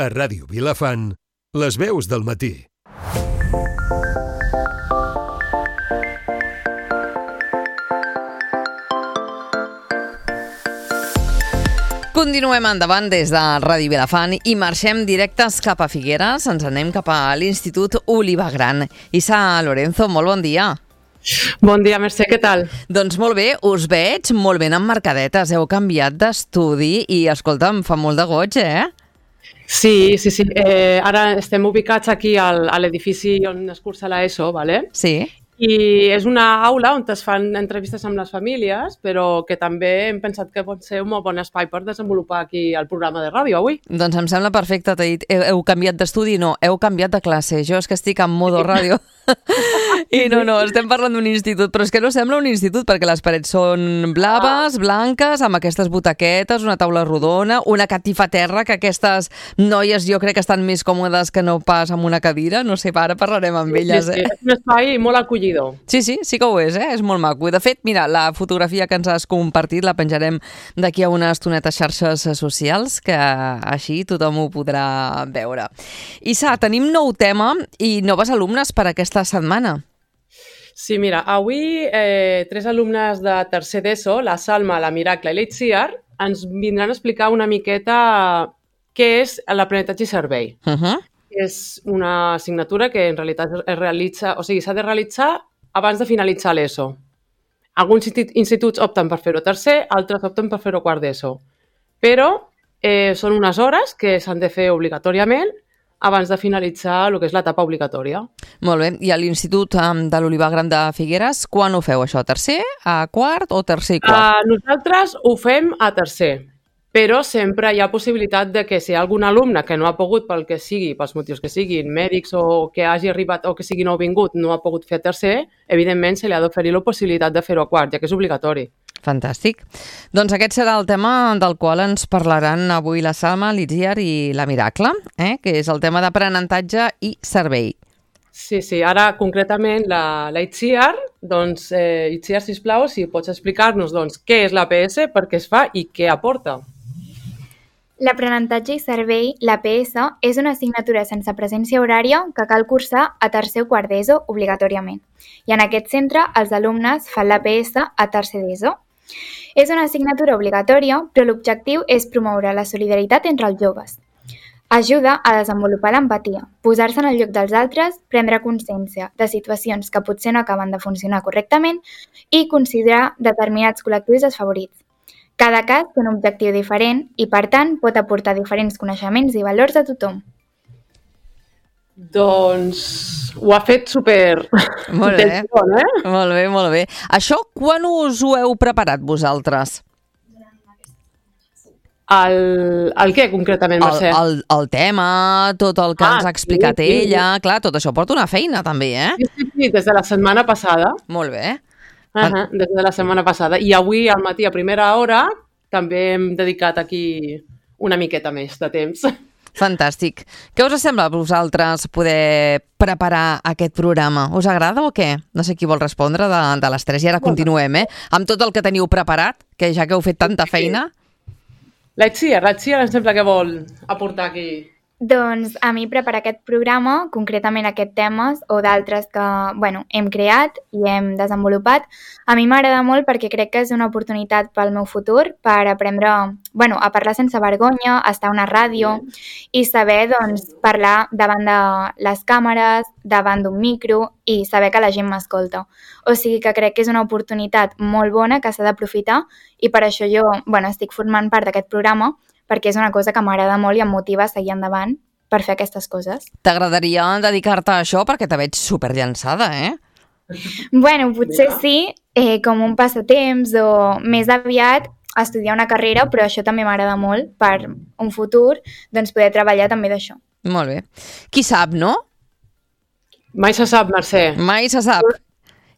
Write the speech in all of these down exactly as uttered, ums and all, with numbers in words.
A Ràdio Vilafant, les veus del matí. Continuem endavant des de Ràdio Vilafant i marxem directes cap a Figueres. Ens anem cap a l'Institut Oliva Gran. Isa Lorenzo, molt bon dia. Bon dia, Mercè, què tal? Doncs molt bé, us veig molt ben emmarcadetes. Heu canviat d'estudi i, escolta'm, fa molt de goig, eh? Sí, sí, sí. Eh, ara estem ubicats aquí al, a l'edifici on es cursa l'ESO, ¿vale? Sí. I és una aula on es fan entrevistes amb les famílies, però que també hem pensat que pot ser un molt bon espai per desenvolupar aquí el programa de ràdio avui. Doncs em sembla perfecte, t'he dit, heu, heu canviat d'estudi, no, heu canviat de classe. Jo és que estic en modo ràdio. I no, no, estem parlant d'un institut, però és que no sembla un institut perquè les parets són blaves, blanques, amb aquestes butaquetes, una taula rodona, una catifa a terra, que aquestes noies jo crec que estan més còmodes que no pas amb una cadira. No sé, ara parlarem amb elles. Sí, sí, eh? és un espai molt acollidor. Sí, sí, sí que ho és, eh? És molt maco. De fet, mira, la fotografia que ens has compartit la penjarem d'aquí a una estoneta a xarxes socials, que així tothom ho podrà veure. Isa, tenim nou tema i noves alumnes per aquesta setmana. Sí, mira, avui eh, tres alumnes de tercer d'ESO, la Salma, la Miracle i l'Itziar, ens vindran a explicar una miqueta què és l'aprenentatge i servei. Uh-huh. És una assignatura que en realitat es realitza, o sigui, s'ha de realitzar abans de finalitzar l'ESO. Alguns instituts opten per fer-ho tercer, altres opten per fer-ho quart d'ESO. Però eh, són unes hores que s'han de fer obligatòriament abans de finalitzar el que és l'etapa obligatòria. Molt bé. I a l'Institut um, de l'Oliva Gran de Figueres, quan ho feu això? Tercer, a quart o tercer i quart? Uh, nosaltres ho fem a tercer. Però sempre hi ha possibilitat de que si hi ha algun alumne que no ha pogut pel que sigui, pels motius que siguin, mèdics o que hagi arribat o que sigui nouvingut, no ha pogut fer tercer, evidentment se li ha d'oferir la possibilitat de fer-ho a quart, ja que és obligatori. Fantàstic. Doncs aquest serà el tema del qual ens parlaran avui la Salma, l'Itziar i la Miracle, eh? Que és el tema d'aprenentatge i servei. Sí, sí. Ara, concretament, la, la Itziar, doncs, eh, Itziar, sisplau, si pots explicar-nos doncs, què és l'A P S, per què es fa i què aporta. L'aprenentatge i servei, l'A P S, és una assignatura sense presència horària que cal cursar a tercer o quart d'ESO obligatòriament. I en aquest centre els alumnes fan l'A P S a tercer d'ESO. És una assignatura obligatòria, però l'objectiu és promoure la solidaritat entre els joves. Ajuda a desenvolupar l'empatia, posar-se en el lloc dels altres, prendre consciència de situacions que potser no acaben de funcionar correctament i considerar determinats col·lectius desfavorits. Cada cas té un objectiu diferent i, per tant, pot aportar diferents coneixements i valors a tothom. Doncs ho ha fet super... Molt bé, bon, eh? molt bé, molt bé. Això quan us ho heu preparat vosaltres? El, el què, concretament, Mercè? El, el, el tema, tot el que ah, ens ha explicat sí, sí. ella... Clar, tot això porta una feina, també, eh? Sí, sí, sí, des de la setmana passada. Molt bé. Uh -huh, des de la setmana passada. I avui, al matí, a primera hora, també hem dedicat aquí una miqueta més de temps. Fantàstic. Què us sembla a vosaltres poder preparar aquest programa? Us agrada o què? No sé qui vol respondre de, de les tres. I ara continuem, eh? Amb tot el que teniu preparat, que ja que heu fet tanta feina. La Itziar, la Itziar em sembla que vol aportar aquí. Doncs a mi preparar aquest programa, concretament aquest temes o d'altres que bueno, hem creat i hem desenvolupat, a mi m'agrada molt perquè crec que és una oportunitat pel meu futur per aprendre bueno, a parlar sense vergonya, a estar a una ràdio i saber doncs, parlar davant de les càmeres, davant d'un micro i saber que la gent m'escolta. O sigui que crec que és una oportunitat molt bona que s'ha d'aprofitar i per això jo bueno, estic formant part d'aquest programa perquè és una cosa que m'agrada molt i em motiva a seguir endavant per fer aquestes coses. T'agradaria dedicar-te a això perquè te veig superllançada, eh? Bueno, potser sí, eh, com un passatemps o més aviat estudiar una carrera, però això també m'agrada molt per un futur, doncs poder treballar també d'això. Molt bé. Qui sap, no? Mai se sap, Mercè. Mai se sap.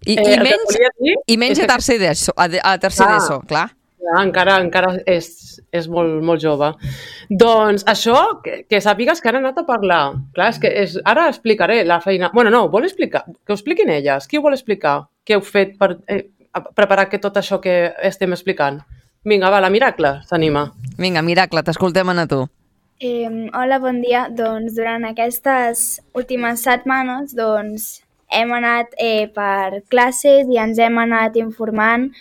I, eh, i menys, i menys a tercer d'ESO, a, a tercer ah. d'ESO, clar. Ja, encara encara és, és molt, molt jove. Doncs això, que, que sàpigues que han anat a parlar. Clar, és que és, ara explicaré la feina... Bueno, no, vol explicar? Que ho expliquin elles. Qui ho vol explicar? Què heu fet per eh, preparar que tot això que estem explicant? Vinga, va, la Miracle s'anima. Vinga, Miracle, t'escoltem a tu. Eh, hola, bon dia. Doncs durant aquestes últimes setmanes doncs, hem anat eh, per classes i ens hem anat informant.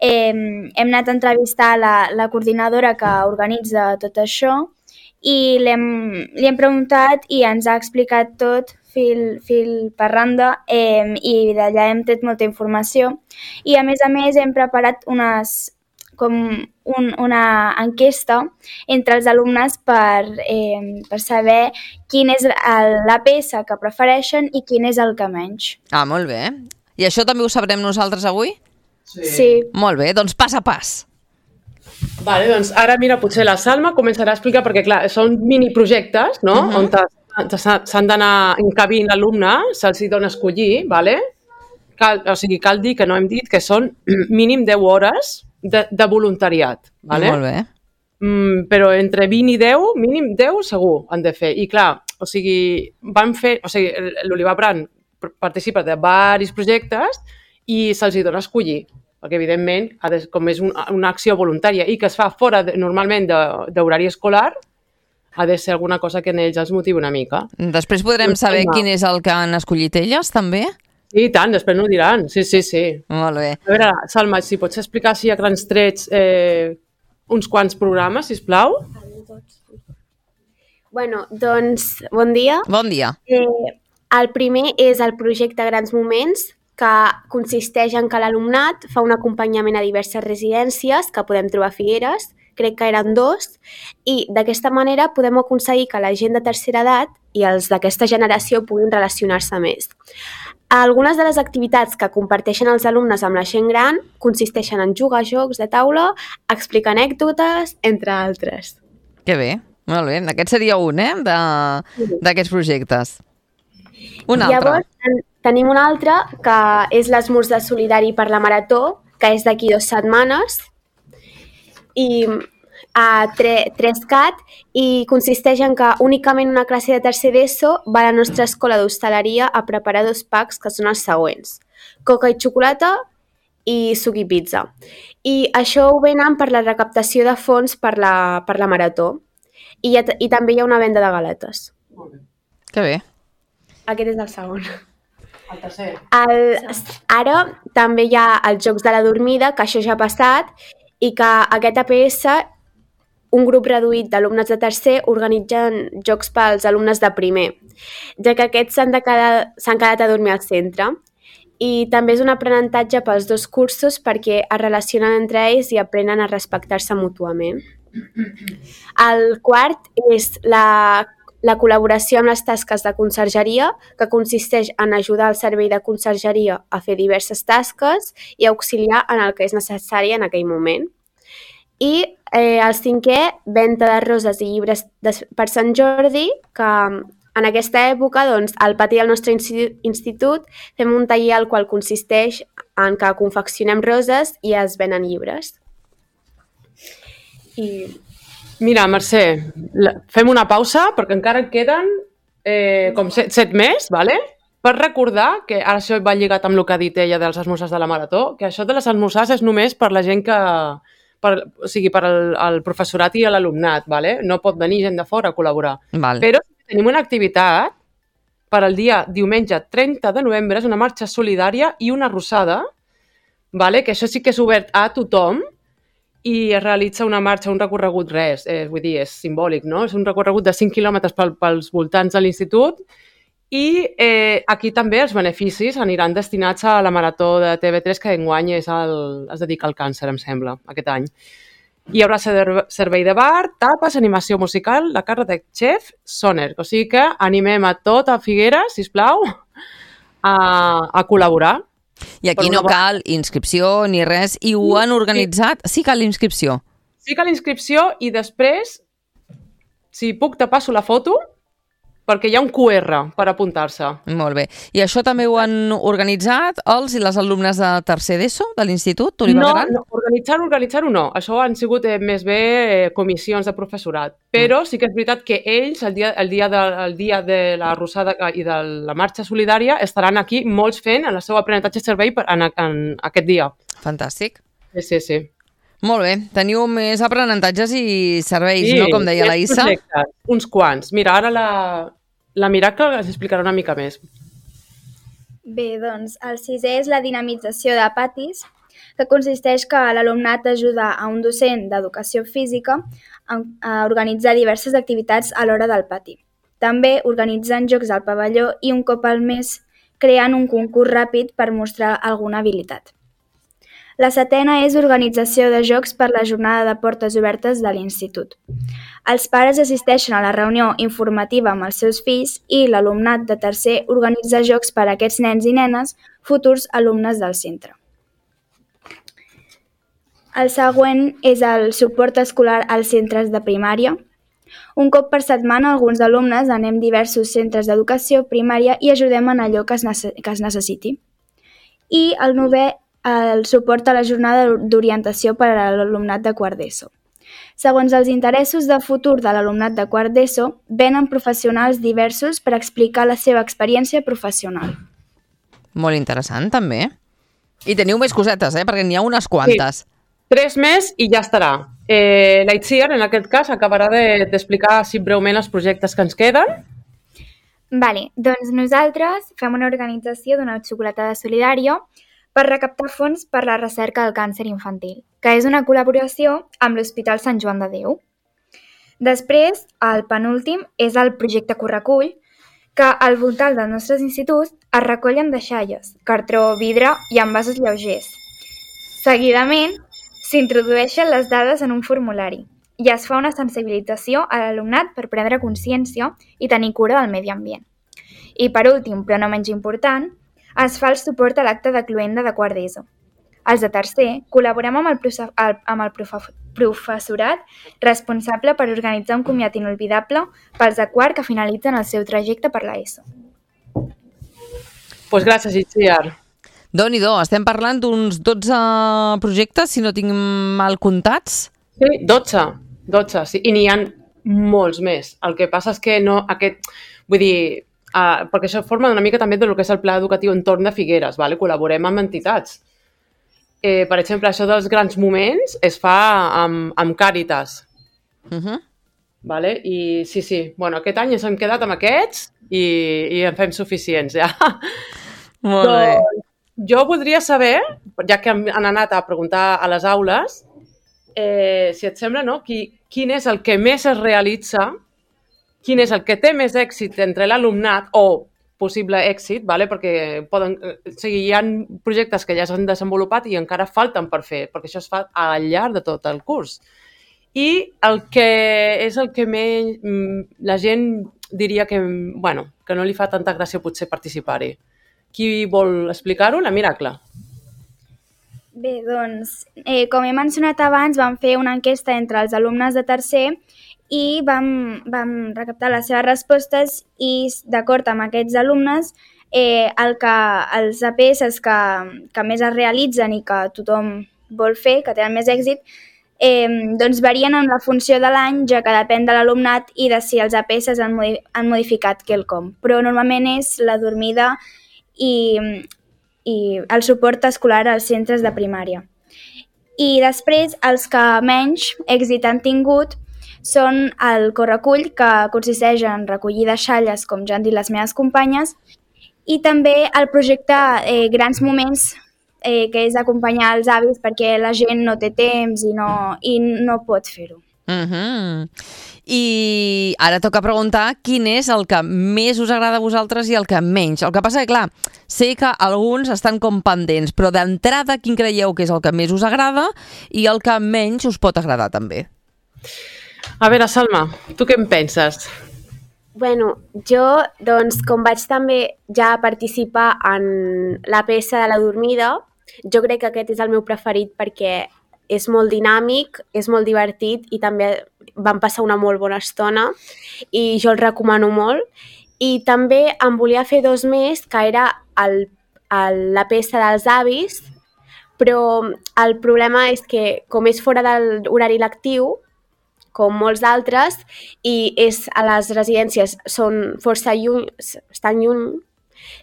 Eh, hem anat a entrevistar la, la coordinadora que organitza tot això i li hem, li hem preguntat i ens ha explicat tot fil, fil per randa eh, i d'allà hem tret molta informació. I a més a més hem preparat unes com un, una enquesta entre els alumnes per, eh, per saber quin és el, la peça que prefereixen i quin és el que menys. Ah, molt bé. I això també ho sabrem nosaltres avui? Sí. Sí. Molt bé, doncs pas a pas. Vale, doncs ara, mira, potser la Salma començarà a explicar, perquè clar, són miniprojectes, no? Uh-huh. On s'han d'anar encabint l'alumne, se'ls dona a escollir, vale? Cal, o sigui, cal dir que no hem dit que són mínim deu hores de, de voluntariat, vale? Molt bé. Mm, però entre vint i deu, mínim deu segur han de fer. I clar, o sigui, van fer, o sigui, l'Olivar Brand participa de diversos projectes i se'ls dona a escollir, perquè evidentment, ha de, com és un, una acció voluntària i que es fa fora de, normalment d'horari escolar, ha de ser alguna cosa que en ells els motivi una mica. Després podrem saber quin és el que han escollit elles, també? Sí, i tant, després no ho diran. Sí, sí, sí. Molt bé. A veure, Salma, si pots explicar així a grans trets eh, uns quants programes, sisplau? Bueno, doncs, bon dia. Bon dia. Eh, el primer és el projecte Grans Moments, que consisteix en que l'alumnat fa un acompanyament a diverses residències que podem trobar a Figueres, crec que eren dos, i d'aquesta manera podem aconseguir que la gent de tercera edat i els d'aquesta generació puguin relacionar-se més. Algunes de les activitats que comparteixen els alumnes amb la gent gran consisteixen en jugar a jocs de taula, explicar anècdotes, entre altres. Que bé, molt bé. Aquest seria un, eh, d'aquests projectes. Un altre. Llavors, ten tenim un altre, que és l'esmorzar solidari per la Marató, que és d'aquí dues setmanes, i a Trescat, i consisteix en que únicament una classe de tercer d'ESO va a la nostra escola d'hostaleria a preparar dos packs que són els següents: coca i xocolata i suc i pizza. I això ho venen per la recaptació de fons per la, per la Marató. I, ha, I també hi ha una venda de galetes. Molt bé. Que bé. Aquest és el segon. El tercer. El, ara també hi ha els Jocs de la Dormida, que això ja ha passat, i que aquest A P S, un grup reduït d'alumnes de tercer, organitzen jocs pels alumnes de primer, ja que aquests s'han s'han quedat a dormir al centre. I també és un aprenentatge pels dos cursos perquè es relacionen entre ells i aprenen a respectar-se mútuament. El quart és la, la col·laboració amb les tasques de consergeria, que consisteix en ajudar el servei de consergeria a fer diverses tasques i auxiliar en el que és necessari en aquell moment. I eh, el cinquè, venda de roses i llibres de, per Sant Jordi, que en aquesta època, doncs, al pati del nostre institut fem un taller al qual consisteix en que confeccionem roses i es venen llibres. I... Mira, Mercè, fem una pausa perquè encara en queden eh, com set, set més, ¿vale? Per recordar que ara això va lligat amb el que ha dit ella dels esmorzars de la Marató, que això de les esmorzars és només per la gent que... Per, o sigui, per al, al professorat i a l'alumnat, ¿vale? No pot venir gent de fora a col·laborar. Val. Però tenim una activitat per al dia diumenge trenta de novembre, és una marxa solidària i una arrossada, ¿vale? Que això sí que és obert a tothom i es realitza una marxa, un recorregut, res, eh, vull dir, és simbòlic, no? És un recorregut de cinc quilòmetres pel, pels voltants de l'institut i eh, aquí també els beneficis aniran destinats a la Marató de T V tres que enguany és el, es dedica al càncer, em sembla, aquest any. Hi haurà servei de bar, tapes, animació musical, la carta de xef, Soner. O sigui que animem a tot a Figueres, sisplau, a, a col·laborar. I aquí no cal inscripció ni res, i ho han organitzat? Sí, cal inscripció. Sí, cal inscripció i després, si puc, te passo la foto, perquè hi ha un Q R per apuntar-se. Molt bé. I això també ho han organitzat els i les alumnes de tercer d'ESO de l'Institut Olivar Gran? No, no organitzar-ho, organitzar-ho no. Això han sigut eh, més bé eh, comissions de professorat. Però mm. sí que és veritat que ells, el dia, el dia, de, el dia de la Rosada i de la marxa solidària, estaran aquí molts fent el seu aprenentatge servei per, en, en aquest dia. Fantàstic. Sí, sí, sí. Molt bé. Teniu més aprenentatges i serveis, Sí, no? Com deia la més Issa. projectes, uns quants. Mira, ara la, la Miracle ens explicarà una mica més. Bé, doncs, el sisè és la dinamització de patis, que consisteix que l'alumnat ajuda a un docent d'educació física a, a organitzar diverses activitats a l'hora del pati. També organitzen jocs al pavelló i un cop al mes creant un concurs ràpid per mostrar alguna habilitat. La setena és organització de jocs per la jornada de portes obertes de l'institut. Els pares assisteixen a la reunió informativa amb els seus fills i l'alumnat de tercer organitza jocs per a aquests nens i nenes, futurs alumnes del centre. El següent és el suport escolar als centres de primària. Un cop per setmana, alguns alumnes anem a diversos centres d'educació primària i ajudem en allò que es, nece- que es necessiti. I el novè, el suport a la jornada d'orientació per a l'alumnat de quart d'ESO. Segons els interessos de futur de l'alumnat de quart d'ESO, venen professionals diversos per explicar la seva experiència professional. Molt interessant, també. I teniu més cosetes, eh? Perquè n'hi ha unes quantes. Sí. Tres més i ja estarà. Eh, la Itziar, en aquest cas, acabarà de- d'explicar així breument els projectes que ens queden. Vale, doncs nosaltres fem una organització d'una xocolatada solidària per recaptar fons per la recerca del càncer infantil, que és una col·laboració amb l'Hospital Sant Joan de Déu. Després, el penúltim és el projecte Correcull, que al voltant dels nostres instituts es recollen deixalles, cartró, vidre i envasos lleugers. Seguidament, s'introdueixen les dades en un formulari i es fa una sensibilització a l'alumnat per prendre consciència i tenir cura del medi ambient. I per últim, però no menys important, es fa el suport a l'acte de cloenda de quart d'ESO. Els de tercer col·laborem amb el, profe el, amb el profe professorat responsable per organitzar un comiat inolvidable pels de quart que finalitzen el seu trajecte per l'ESO. Doncs pues gràcies, Itziar. Déu-n'hi-do, estem parlant d'uns dotze projectes, si no tinc mal comptats. Sí, dotze. dotze, sí. I n'hi ha molts més. El que passa és que no... aquest, vull dir, uh, perquè això forma una mica també del que és el pla educatiu entorn de Figueres, vale? Col·laborem amb entitats. Eh, per exemple, això dels grans moments es fa amb, amb Càritas. Uh -huh. Vale? I sí, sí. Bueno, aquest any ens hem quedat amb aquests i, i en fem suficients, ja. Molt bé. Doncs, jo voldria saber, ja que han anat a preguntar a les aules, eh, si et sembla, no? Qui, quin és el que més es realitza, quin és el que té més èxit entre l'alumnat o possible èxit, vale? Perquè poden, o sigui, hi ha projectes que ja s'han desenvolupat i encara falten per fer, perquè això es fa al llarg de tot el curs. I el que és el que més, la gent diria que, bueno, que no li fa tanta gràcia potser participar-hi. Qui vol explicar-ho? La Miracle. Bé, doncs, eh, com he mencionat abans, vam fer una enquesta entre els alumnes de tercer i vam, vam recaptar les seves respostes i, d'acord amb aquests alumnes, eh, el que, els A P S que, que més es realitzen i que tothom vol fer, que tenen més èxit, eh, doncs varien en la funció de l'any, ja que depèn de l'alumnat i de si els A P S han, modi han modificat quelcom. Però normalment és la dormida i, i el suport escolar als centres de primària. I després, els que menys èxit han tingut són el Correcull, que consisteix en recollir deixalles, com ja han dit les meves companyes, i també el projecte eh, Grans Moments, eh, que és acompanyar els avis perquè la gent no té temps i no, i no pot fer-ho. Uh -huh. I ara toca preguntar quin és el que més us agrada a vosaltres i el que menys. El que passa que, clar, sé que alguns estan com pendents, però d'entrada quin creieu que és el que més us agrada i el que menys us pot agradar també? A veure, Salma, tu què en penses? Bueno, jo, doncs, com vaig també ja participar en la peça de la dormida, jo crec que aquest és el meu preferit perquè és molt dinàmic, és molt divertit i també vam passar una molt bona estona i jo el recomano molt. I també em volia fer dos més, que era el, el, la peça dels avis, però el problema és que com és fora de l'horari lectiu, com molts d'altres, i és a les residències són força lluny, estan lluny,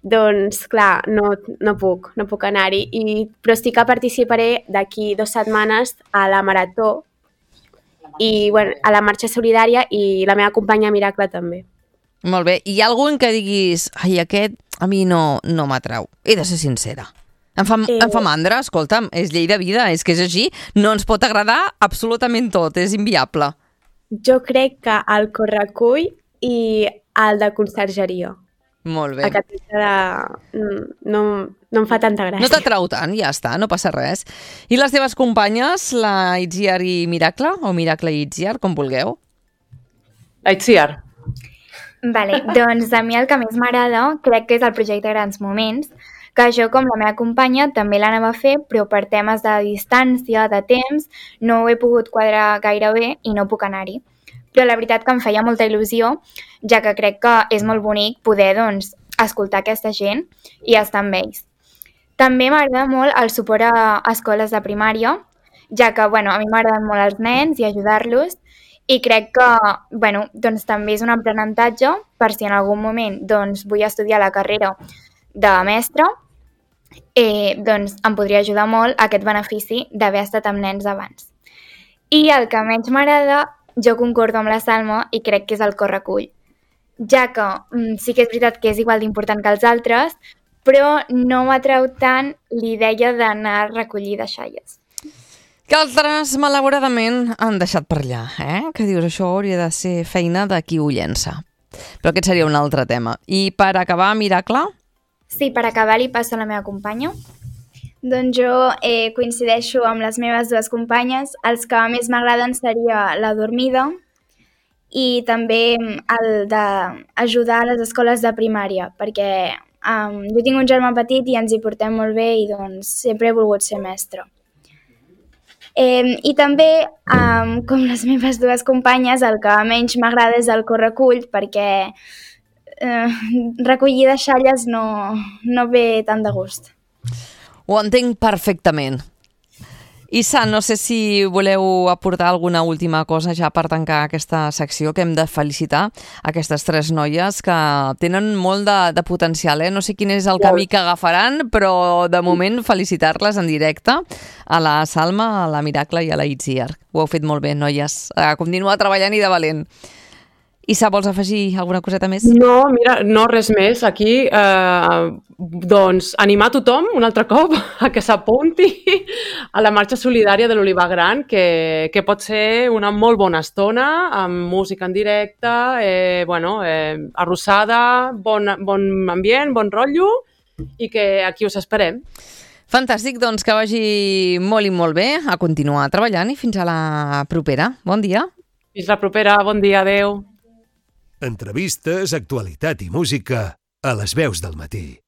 doncs clar, no, no puc, no puc anar-hi. I, però sí que participaré d'aquí dues setmanes a la Marató i bueno, a la Marxa Solidària i la meva companya Miracle també. Molt bé. Hi ha algun que diguis, ai, aquest a mi no, no m'atrau? He de ser sincera. Em fa, eh... em fa mandra, escolta'm, és llei de vida, és que és així. No ens pot agradar absolutament tot, és inviable. Jo crec que el Correcull i el de Consergeria. Molt bé. Aquest de... no, no em fa tanta gràcia. No t'atrau tant, ja està, no passa res. I les teves companyes, la Itziar i Miracle, o Miracle i Itziar, com vulgueu? La Itziar. Vale, doncs a mi el que més m'agrada crec que és el projecte Grans Moments, que jo com la meva companya també l'anava a fer, però per temes de distància, de temps, no ho he pogut quadrar gaire bé i no puc anar-hi. Però la veritat que em feia molta il·lusió, ja que crec que és molt bonic poder doncs, escoltar aquesta gent i estar amb ells. També m'agrada molt el suport a escoles de primària, ja que bueno, a mi m'agraden molt els nens i ajudar-los, i crec que bueno, doncs, també és un aprenentatge per si en algun moment doncs, vull estudiar la carrera de mestre, eh, doncs em podria ajudar molt aquest benefici d'haver estat amb nens abans. I el que menys m'agrada, jo concordo amb la Salma i crec que és el Correcull, ja que mm, sí que és veritat que és igual d'important que els altres, però no m'atreu tant l'idea d'anar a recollir deixalles. Que altres, malauradament, han deixat per allà, eh? Que dius, això hauria de ser feina de qui ho llença. Però aquest seria un altre tema. I per acabar, Miracle? Sí, per acabar li passo a la meva companya. Doncs jo eh, coincideixo amb les meves dues companyes. Els que més m'agraden seria la dormida i també el d'ajudar a les escoles de primària, perquè um, jo tinc un germà petit i ens hi portem molt bé i doncs sempre he volgut ser mestra. Eh, I també, um, com les meves dues companyes, el que menys m'agrada és el Correcull, perquè eh, recollir deixalles no, no ve tant de gust. Ho entenc perfectament. Issa, no sé si voleu aportar alguna última cosa ja per tancar aquesta secció, que hem de felicitar aquestes tres noies que tenen molt de, de potencial. Eh? No sé quin és el camí que agafaran, però de moment felicitar-les en directe a la Salma, a la Miracle i a la Itziar. Ho heu fet molt bé, noies. A continuar treballant i de valent. Issa, vols afegir alguna coseta més? No, mira, no res més. Aquí, eh, doncs, animar tothom un altre cop a que s'apunti a la marxa solidària de l'Olivar Gran, que, que pot ser una molt bona estona, amb música en directe, eh, bueno, eh, arrossada, bon, bon ambient, bon rotllo, i que aquí us esperem. Fantàstic, doncs que vagi molt i molt bé, a continuar treballant i fins a la propera. Bon dia. Fins la propera, bon dia, adeu. Entrevistes, actualitat i música a les veus del matí.